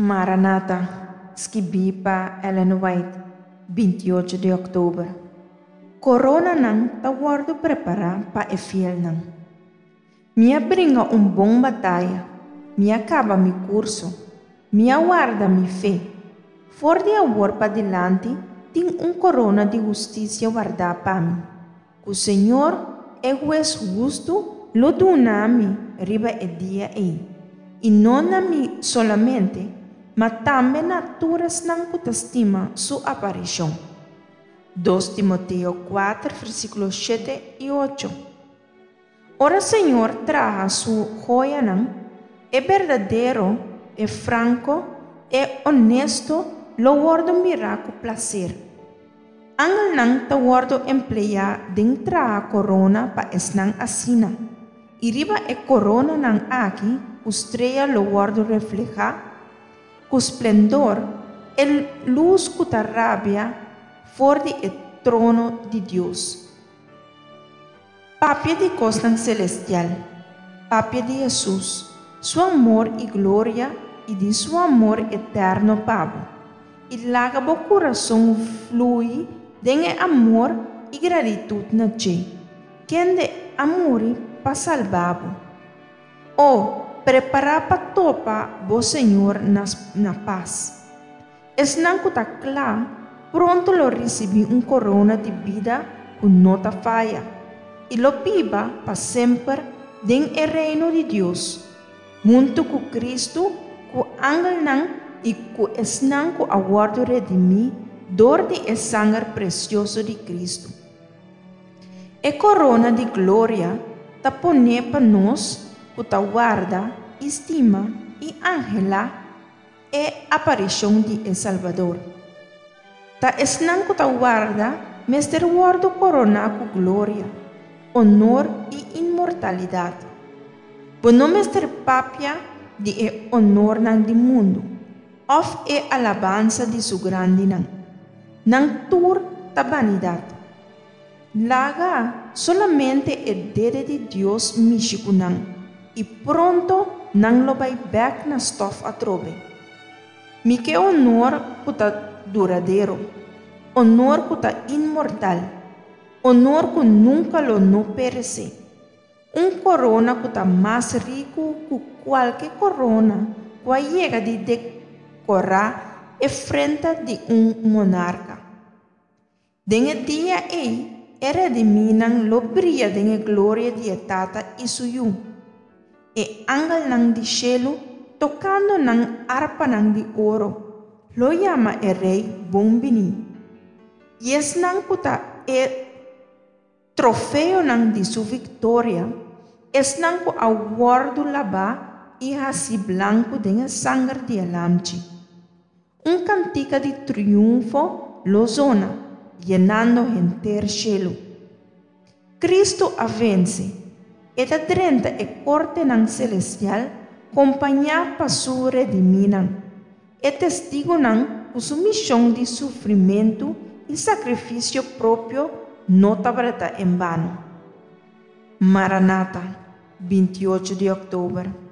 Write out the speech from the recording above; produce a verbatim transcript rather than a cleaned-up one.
Maranata, skibí pa Ellen White, bintiocho di òktober. Koronanan ta wòrdu prepará pa e fielnan. Mi a bringa un bon bataya, mi a kaba mi kurso, mi a warda mi fe. For di awor padilanti tin un korona di hustisia wardá pa mi, ku Señor, e Hues hustu, lo duna mi riba e dia ei, i no na mi solamente, ma tambe na tur esnan ku ta stima su aparishon. Dos Timoteo kuater, versíkulo shete i ocho. Ora Señor traha su hoyanan, e berdadero, e franko, e honesto lo wòrdu mirá ku plaser. Angelnan ta wòrdu empleá den traha korona pa esnan asina, i riba e koronanan aki ku strea lo wòrdu reflehá ku splendor e lus ku ta rabia for di e trono di Dios. Papia di kosnan selestial, papia di Hesus, su amor i gloria i di su amor eterno pa bo, i laga bo kurason flui den e amor i gratitut na dje, kende a muri pa salba bo. O, prepará pa topa bo Señor na, na pas. Esnan ku ta kla, pronto lo risibí un korona di bida ku no ta faya, i lo biba pa semper den e reino di Dios, huntu ku Kristu, ku angelnan i ku esnan ku a wòrdu redimí dor di e sanger presioso di Kristu. E korona di gloria ta poné pa nos ku ta warda i stima i anhelá e aparishon di e Salbador. Ta esnan ku ta warda mester wòrdu koroná ku gloria, honor i inmortalidat. Bo no mester papia di e honornan di mundu, òf e alabansa di su grandinan. Nan tur ta banidat. Laga solamente e dede di Dios mishi ku nan, i pronto nan lo bai bèk na stòf atrobe. Mi ke honor ku ta duradero, honor ku ta inmortal, honor ku nunka lo no peresé. Un korona ku ta mas riku ku kualke korona ku a yega di dekorá e frenta di un monarka. Den e dia ei, e redimínan lo bria den e gloria di e Tata i su Yu. E angelnan di shelu, tokando nan arpanan di oro, lo yama e Rei bon biní. I esnan ku ta e trofeonan di su viktoria, esnan ku a wòrdu labá i hasí blanku den e sanger di e Lamchi. Un kantika di triunfo lo zona, yenando henter shelu. Kristu a vense. E ta drenta e kortenan selestial kompañá pa su redimínan, e testigunan ku su mishon di sufrimentu i sakrifisio propio no tabata en bano. Maranata, bintiocho di òktober.